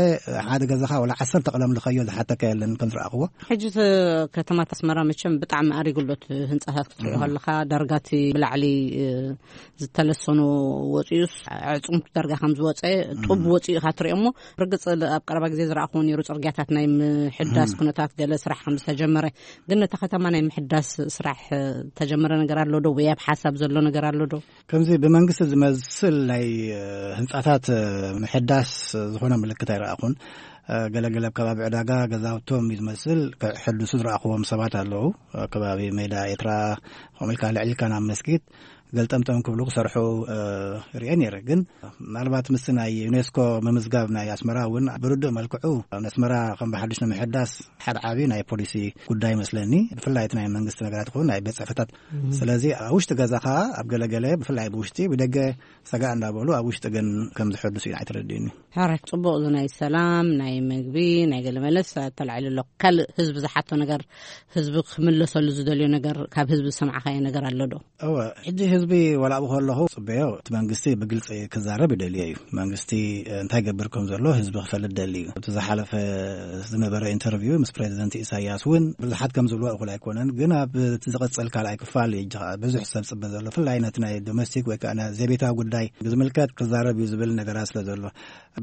ሓደ ገዛኻ ወላ ዓሰርተ ቀለም ልኸዮ ዝሓተካ የለን ከም ዝረኣኽዎ። ሕጂ እቲ ከተማ ኣስመራ መቸም ብጣዕሚ ኣሪጉ ኣሎ። እቲ ህንጻታት ክትሪኦ ከለኻ ዳርጋ እቲ ብላዕሊ፣ እ፣ ዝተለሰኑ ወፂኡስ ኣዕፅምቱ ዳርጋ ከም ዝወፀ ጡብ ወፂኡ ኢኻ ትሪኦ። እሞ ርግፅ ኣብ ቀረባ ግዜ ዝረኣኹዎ ነይሩ፣ ፅርግያታት ናይ ምሕዳስ ኩነታት ገለ ስራሕ ከም ዝተጀመረ። ግን ነታ ከተማ ናይ ምሕዳስ ስራሕ ተጀመረ ነገር ኣሎ ዶ? ወይ ኣብ ሓሳብ ዘሎ ነገር ኣሎ ዶ? ከምዚ ብመንግስቲ ዝመስል ናይ ህንፃታት ምሕዳስ ዝኾነ ምልክት ኣይረኣኹን። ገለገለ ኣብ ከባቢ ዕዳጋ ገዛውቶም እዩ ዝመስል ክሕድሱ ዝረኣኽዎም ሰባት ኣለዉ። ኣብ ከባቢ ሜዳ ኤርትራ ከምኡ ኢልካ ልዕሊ ኢልካ ናብ መስጊድ ገልጠምጠም ክብሉ ክሰርሑ፣ እ፣ ርኤ ነይረ። ግን ምናልባት ምስ ናይ ዩኔስኮ ምምዝጋብ ናይ ኣስመራ እውን ብርዱእ መልክዑ ንኣስመራ ከም ብሓድሽ ንምሕዳስ ሓደ ዓቢ ናይ ፖሊሲ ጉዳይ ይመስለኒ። ብፍላይ እቲ ናይ መንግስቲ ነገራት ይኹን ናይ ቤት ጽሕፈታት። ስለዚ ኣብ ውሽጢ ገዛኻ ኣብ ገለገለ ብፍላይ ብውሽጢ ብደገ ሰጋእ እንዳበሉ ኣብ ውሽጢ ግን ከም ዝሕድሱ እዩ ኣይተረድእኒ። ሕራይ፣ ጽቡቕ። እዚ ናይ ሰላም፣ ናይ መግቢ፣ ናይ ገለ መለስ ተላዒሉ ኣሎ። ካልእ ህዝቢ ዝሓቶ ነገር፣ ህዝቢ ክምለሰሉ ዝደልዮ ነገር፣ ካብ ህዝቢ ዝሰማዕካዮ ነገር ኣሎ ዶ? እወ፣ ሕጂ ህዝቢ ዋላ ኣብኡ ከለኹ ጽበዮ፣ እቲ መንግስቲ ብግልጺ ክዛረብ ይደልዮ እዩ። መንግስቲ፣ እ፣ እንታይ ገብር ከም ዘሎ ህዝቢ ክፈልጥ ደሊ እዩ። እቲ ዝሓለፈ ዝነበረ ኢንተርቪው ምስ ፕሬዚደንት ኢሳያስ እውን ብዙሓት ከም ዝብልዎ እኹል ኣይኮነን፣ ግን ኣብ እቲ ዝቕጽል ካልኣይ ክፋል እዩ ሕጂ ኸኣ ብዙሕ ሰብ ጽበ ዘሎ፣ ብፍላይ ነቲ ናይ ዶሜስቲክ ወይ ከኣ ናይ ዘቤታዊ ጉዳይ ዝምልከት ክዛረብ እዩ ዝብል ነገራት ስለ ዘሎ።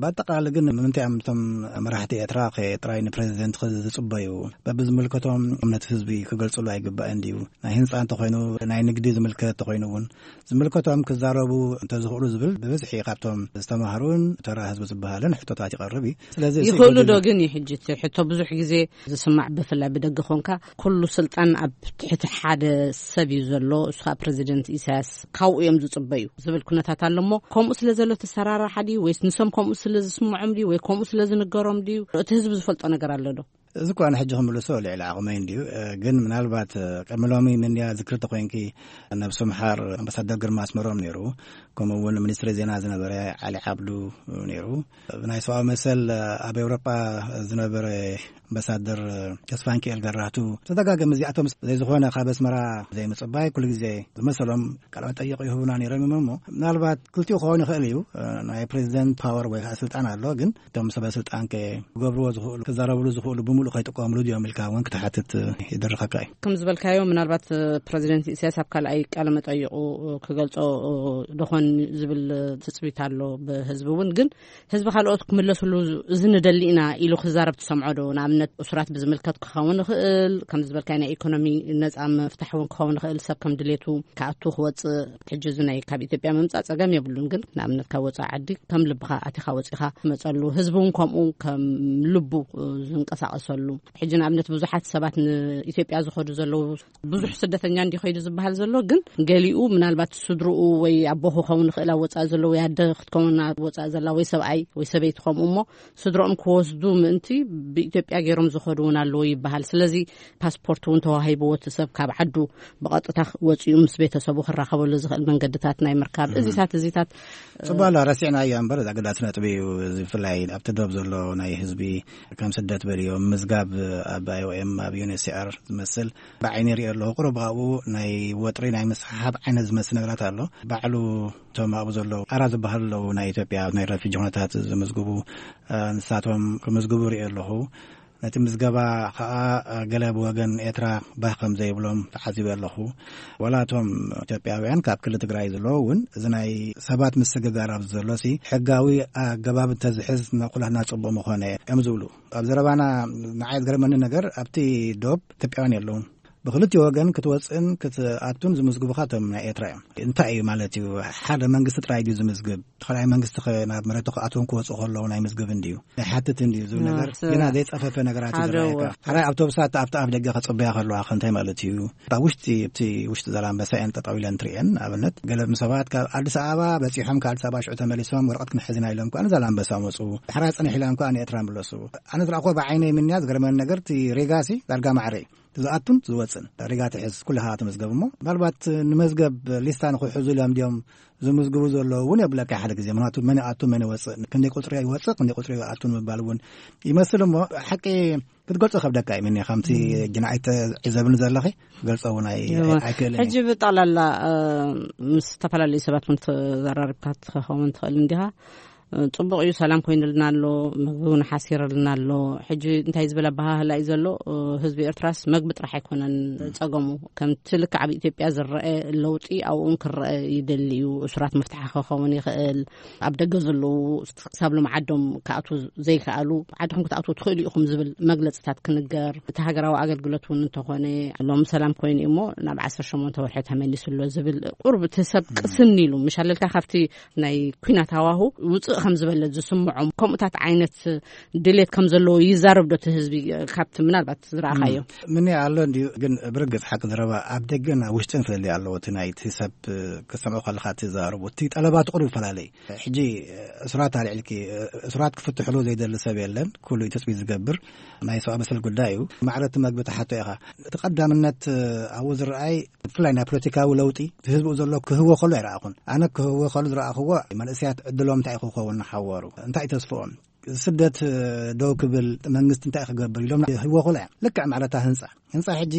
ብኣጠቓላሊ ግን ንምንታይ እዮም እቶም መራሕቲ ኤርትራ ከ ጥራይ ንፕሬዚደንት ክዝጽበዩ? በብዝምልከቶም እምነት ህዝቢ ክገልጽሉ ኣይግባእን ድዩ? ናይ ህንጻ እንተኾይኑ፣ ናይ ንግዲ ዝምልከት እንተኾይኑ እውን ዝምልከቶም ክዛረቡ እንተዝኽእሉ ዝብል ብብዝሒ ካብቶም ዝተማህሩን ተራ ህዝቢ ዝበሃልን ሕቶታት ይቐርብ እዩ። ስለዚ እዚ ይኽእሉ ይጎድል ዶ እዩ። ግን እዩ ሕጂ እቲ ሕቶ ብዙሕ ግዜ ዝስማዕ ብፍላይ ብደገ ኾንካ ኩሉ ስልጣን ኣብ ትሕቲ ሓደ ሰብ እዩ ዘሎ፣ እሱ ከዓ ፕሬዚደንት ኢሳያስ ካብኡ እዮም ዝጽበዩ ዝብል ኩነታት ኣሎ። እሞ ከምኡ ስለ ዘሎ ተሰራርሓ ድዩ ወይስ ንሶም ከምኡ ስለ ዝስምዖም ድዩ ወይ ከምኡ ስለ ዝንገሮም ድዩ? እቲ ህዝቢ ዝፈልጦ ነገር ኣሎ ዶ? እዚ እኳ ንሕጂ ክምልሶ ልዕሊ ዓቕመይ እንድዩ፣ እ፣ ግን ምናልባት፣ እ፣ ቅድሚ ሎሚ ምንያ ዝክሪ ተኾይንኪ ነብሱ ምሓር ኣምባሳደር ግርማ ኣስመሮም ነይሩ፣ ከምኡ እውን ሚኒስትሪ ዜና ዝነበረ ዓሊ ዓብዱ ነይሩ። ብናይ ሰብኣዊ መሰል ኣብ ኤውሮጳ ዝነበረ ኣምባሳደር ተስፋንኪኤል ገራቱ ተደጋገሚ እዚኣቶም ዘይዝኾነ ካብ ኣስመራ ዘይምጽባይ ኩሉ ግዜ ዝመሰሎም ቃለ መጠይቕ ይህቡና ነይሮም እዮም። እሞ ምናልባት ክልቲኡ ክኸውን ይኽእል እዩ። ናይ ፕሬዚደንት ፓወር ወይ ከዓ ስልጣን ኣሎ፣ ግን እቶም ሰበ ስልጣን ከ ክገብርዎ ዝኽእሉ፣ ክዛረብሉ ዝኽእሉ ብምሉእ ከይጥቀምሉ ድዮም ኢልካ እውን ክትሓትት ይድርኸካ እዩ። ከም ዝበልካዮ ምናልባት ፕሬዚደንት ኢሳያስ ኣብ ካልኣይ ቃለ መጠይቑ ክገልጾ ደኾን ዝብል ትጽቢት ኣሎ ብህዝቢ እውን። ግን ህዝቢ ካልኦት ክምለስሉ እዚ ንደሊ ኢና ኢሉ ክዛረብ ትሰምዖ ዶ? ንኣብነት እሱራት ብዝምልከት ክኸውን ይኽእል፣ ከም ዝበልካዮ ናይ ኢኮኖሚ ነጻ ምፍታሕ እውን ክኸውን ይኽእል፣ ሰብ ከም ድሌቱ ክኣቱ ክወጽእ። ሕጂ እዚ ናይ ካብ ኢትዮጵያ ምምጻእ ጸገም የብሉን፣ ግን ንኣብነት ካብ ወጻኢ ዓዲ ከም ልብኻ ኣቲኻ ወጺኻ ትመጸሉ፣ ህዝቢ እውን ከምኡ ከም ልቡ ዝንቀሳቐሱ ተሉ። ሕጂ ንኣብነት ብዙሓት ሰባት ንኢትዮጵያ ዝኸዱ ዘለዉ፣ ብዙሕ ስደተኛ እንዲ ኸይዱ ዝበሃል ዘሎ፣ ግን ገሊኡ ምናልባት ስድርኡ ወይ ኣቦ ክኸውን ይኽእል ኣብ ወፃኢ ዘሎ፣ ወይ ኣደ ክትከውን ኣብ ወፃኢ ዘላ፣ ወይ ሰብኣይ ወይ ሰበይቲ ከምኡ፣ እሞ ስድሮኦም ክወስዱ ምእንቲ ብኢትዮጵያ ገይሮም ዝኸዱ እውን ኣለዉ ይበሃል። ስለዚ ፓስፖርት እውን ተዋሂብዎ እቲ ሰብ ካብ ዓዱ ብቐጥታ ወፂኡ ምስ ቤተሰቡ ክራኸበሉ ዝኽእል መንገድታት ናይ ምርካብ እዚታት እዚታት ጽቡቅ ኣሎ፣ ረሲዕናዮ እምበር፣ ኣገዳሲ ነጥቢ እዩ። እዚ ብፍላይ ኣብቲ ዶብ ዘሎ ናይ ህዝቢ ከም ስደት በልዮ ምዝጋብ ኣብ ኣይ ኦ ኤም፣ ኣብ ዩ ኤን ኤች ሲ ኣር ዝመስል ብዓይኒ ይሪኦ ኣለኹ። ቁሩብ ኣብኡ ናይ ወጥሪ ናይ ምስሓብ ዓይነት ዝመስል ነገራት ኣሎ። ባዕሉ እቶም ኣብኡ ዘለዉ ኣራ ዝበሃሉ ኣለዉ፣ ናይ ኢትዮጵያ ናይ ረፊጂ ኩነታት ዝምዝግቡ፣ እ፣ ንሳቶም ክምዝግቡ ይሪኦ ኣለኹ። ነቲ ምዝገባ ከኣ፣ እ፣ ገለ ብወገን ኤርትራ ባህ ከም ዘይብሎም ተዓዚበ ኣለኹ። ዋላ እቶም ኢትዮጵያውያን ካብ ክልል ትግራይ ዘለዉ እውን፣ እዚ ናይ ሰባት ምስግጋር ኣብዚ ዘሎሲ ሕጋዊ ኣገባብ እንተዝሕዝ ንኩላትና ጽቡቕ ምኾነ እዮም ዝብሉ። ኣብ ዘረባና ንዓይ ዝገርመኒ ነገር፣ ኣብቲ ዶብ ኢትዮጵያውያን የለውን። ብክልቲኡ ወገን ክትወጽእን ክትኣቱን ዝምዝግቡኻ እቶም ናይ ኤርትራ እዮም። እንታይ እዩ ማለት እዩ? ሓደ መንግስቲ ጥራይ ድዩ ዝምዝግብ? ተኸላይ መንግስቲ ኸ ናብ መሬቱ ክኣትውን ክወጽኡ ከለዉ ናይ ምዝግብ እንድዩ? ናይ ሓትት እንድዩ ዝብል እ፣ ነገር ስ-፣ ግና ዘይጸፈፈ ነገራት እዩ ሓደ ዝረኣየካ። ወ-፣ ሓደ ኣውቶቡሳት ኣብቲ ኣፍ ደገ ከጽበያ ከለዋ ከ እንታይ ማለት እዩ? ኣብ ውሽጢ፣ ኣብቲ ውሽጢ ዛላምበሳ እየን ጠጠው ኢለን ትርእየን። ንኣብነት ገለ ሰባት ካብ ኣዲስ ኣበባ በጺሖም ካብ ኣዲስ ኣበባ ሽዑ ተመሊሶም ወረቐት ክንሕዝና ኢሎም ከኣ ንዛላምበሳ መጹ። ድሕራ ጽንሕ ኢሎም ከኣ ንኤርትራ ምለሱ። ኣነ ዝረኣኹዎ ብዓይነይ ምንያ ዝገርመኒ ነገር እቲ ሪጋሲ ዳርጋ ማዕረ እዩ። ዝኣቱን ዝወፅን ሪጋ ትሕዝ ኩልኻ ትምዝገብ እሞ ምናልባት ንመዝገብ ሊስታ ንክሕዙ ኢሎም ድዮም ዝምዝግቡ ዘለዉ እውን የብለካ ሓደ ግዜ። ምክንያቱ መን ይኣቱ መን ይወፅእ፣ ክንደይ ቁፅሪ ይወፅእ ክንደይ ቁፅሪ ይኣቱ ንምባል እውን ይመስል እሞ ሓቂ ክትገልፆ ከብደካ እዩ። ምኒ ከምቲ ግና ኣይተዕዘብኒ ዘለኺ ገልፆ እውን ኣይ-፣ እወ። ኣይክእልን ሕጂ እየ። ብጠቕላላ እ፣ ምስ ዝተፈላለዩ ሰባት እውን ተዘራሪብካ ትኸውን ትኽእል እንዲኻ። ጽቡቕ እዩ፣ ሰላም ኮይኑልና ኣሎ፣ ምግቢ እውን ሓሲርልና ኣሎ። ሕጂ እንታይ ዝበለ ኣበሃህላ እዩ ዘሎ? ህዝቢ ኤርትራስ መግቢ ጥራሕ ኣይኮነን ጸገሙ። ከምቲ ልክዕ ኣብ ኢትዮጵያ ዝረአ ለውጢ ኣብኡ እውን ክረአ ይደሊ እዩ። እሱራት ምፍታሕ ክኸውን ይኽእል። ኣብ ደገ ዘለዉ ክሳብ ሎም ዓዶም ክኣትዉ ዘይከኣሉ፣ ዓድኹም ክትኣትዉ ትኽእሉ ኢኹም ዝብል መግለጽታት ክንገር። እቲ ሃገራዊ ኣገልግሎት እውን እንተኾነ ሎም ሰላም ኮይኑ እዩ እሞ ናብ ዓሰርተ ሸሞንተ ወርሒ ተመሊሱ ኣሎ ዝብል ቁርብ እቲ ሰብ ቅስን ኢሉ ምሽ ኣለልካ ካብቲ ናይ ኲናት ሃዋሁ ውፅእ ከም ዝበለ ዝስምዖም ከምኡታት ዓይነት ድሌት ከም ዘለዎ ይዛረብ ዶ እቲ ህዝቢ? ካብቲ ምናልባት ዝረኣኻዮ። እም፣ ምን ኣሎ እንድዩ፣ ግን ብርግጽ ሓቂ ዘረባ ኣብ ደገን ኣብ ውሽጥን ፍልልይ ኣለዎ። እቲ ናይ እቲ ሰብ ክሰምዖ ከለኻ እቲ ዘረቡ፣ እቲ ጠለባት ቁሩብ ይፈላለ እዩ። ሕጂ እሱራት ኣልዒልኪ፣ እሱራት ክፍትሕሉ ዘይደሊ ሰብ የለን። ኩሉ እዩ ትጽቢት ዝገብር። ናይ ሰብኣዊ መሰል ጉዳይ እዩ። ማዕረ እቲ መግቢ ትሓቶ ኢኻ። እቲ ቀዳምነት ኣብኡ ዝረኣይ ብፍላይ ናይ ፖለቲካዊ ለውጢ እቲ ህዝቡ ዘሎ ክህቦ ከሎ ኣይረኣኹን። ኣነ ክህቦ ከሎ ዝረኣኽዎ መንእሰያት ዕድሎም እንታይ ክኸውን ንሓወሩ፣ እንታይ ተስፍኦም፣ ስደት ደው ክብል መንግስቲ እንታይ ክገብር ኢሎም ህይወ ከሎ እዮም። ልክዕ ማዕረታ ህንፃ፣ ህንፃ ሕጂ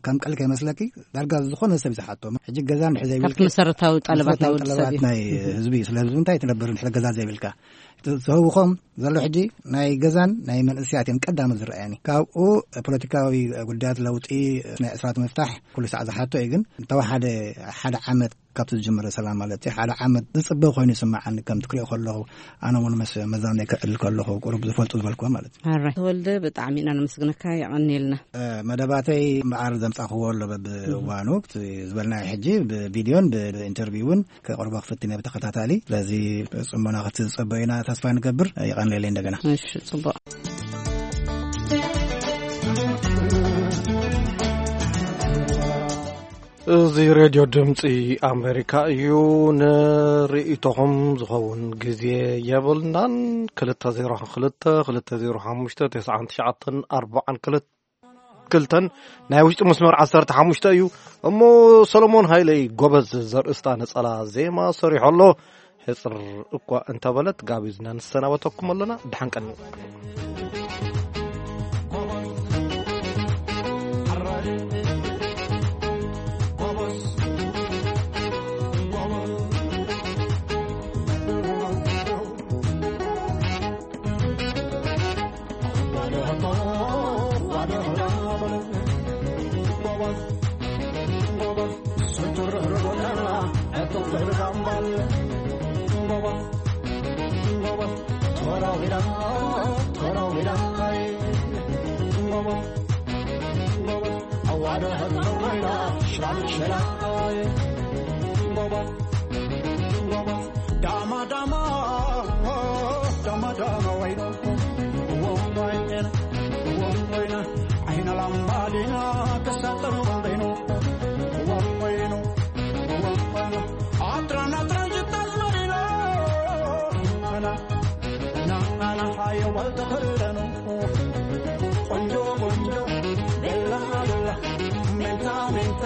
ከም ቀል ከይመስለኪ ዳርጋ ዝኾነ ሰብ እዩ ዝሓቶ። ሕጂ ገዛ እንድሕር ዘይብልኪ ካብቲ መሰረታዊ ጠለባት ናይ መሰረታዊ ወዲ ሰብ ጠለባት እዩ። ናይ ህዝቢ እዩ። ስለ ህዝቢ እንታይ ትነብር እንድሕር ገዛ ዘይብልካ? ዝህውኾም ዘሎ ሕጂ ናይ ገዛን ናይ መንእስያት እዮም ቀዳሞት ዝረኣየኒ። ካብኡ ፖለቲካዊ ጉዳያት ለውጢ ናይ ዕስራት ምፍታሕ ኩሉ ሰዓት ዝሓቶ እዩ። ግን እንተወሓደ ሓደ ዓመት ካብቲ ዝጀመረ ሰላም ማለት እዩ። ሓደ ዓመት ዝጽበ ኮይኑ ይስምዓኒ ከም ትክሪኦ ከለኹ፣ ኣነ እውን መስ-፣ መዛነይ ክዕል ከለኹ ቁሩብ ዝፈልጡ ዝበልኩዎ ማለት እዩ። ኣራይ ተወልደ፣ ብጣዕሚ ኢና ነመስግነካ፣ የቐንየልና። እ፣ መደባተይ እምበኣር ዘምጻኽዎ ኣሎ በብእዋኑ፣ እቲ ዝበልናዮ ሕጂ ብቪድዮን ብ-፣ ብኢንተርቪውን ከቕርቦ ክፍትን እየ ብተኸታታሊ። ስለዚ ጽሞና ክትጸበዩና ተስፋ ንገብር። የቐንየለይ እንደገና። እሺ፣ ጽቡቕ። እዚ ሬድዮ ድምፂ ኣሜሪካ እዩ። ንርእይቶኹም ዝኸውን ግዜ የብልናን። ክልተ ዜሮ ክልተ፣ ክልተ ዜሮ ሓሙሽተ፣ ተስዓን ትሽዓተን፣ ኣርባዓን ክልተ ክልተን ናይ ውሽጢ መስመር ዓሰርተ ሓሙሽተ እዩ። እሞ ሰሎሞን ሃይለይ ጎበዝ ዘርእስታ ነጸላ ዜማ ሰሪሑ ኣሎ። ሕጽር እኳ እንተበለት ጋቢዝና ንሰናበተኩም ኣለና። ደሓን ቀንዩ። ናናናሓየዋል ተኸለኑ ቆንጆ ቆንጆ ቤላ ቤላ ሜንታ ሜንታ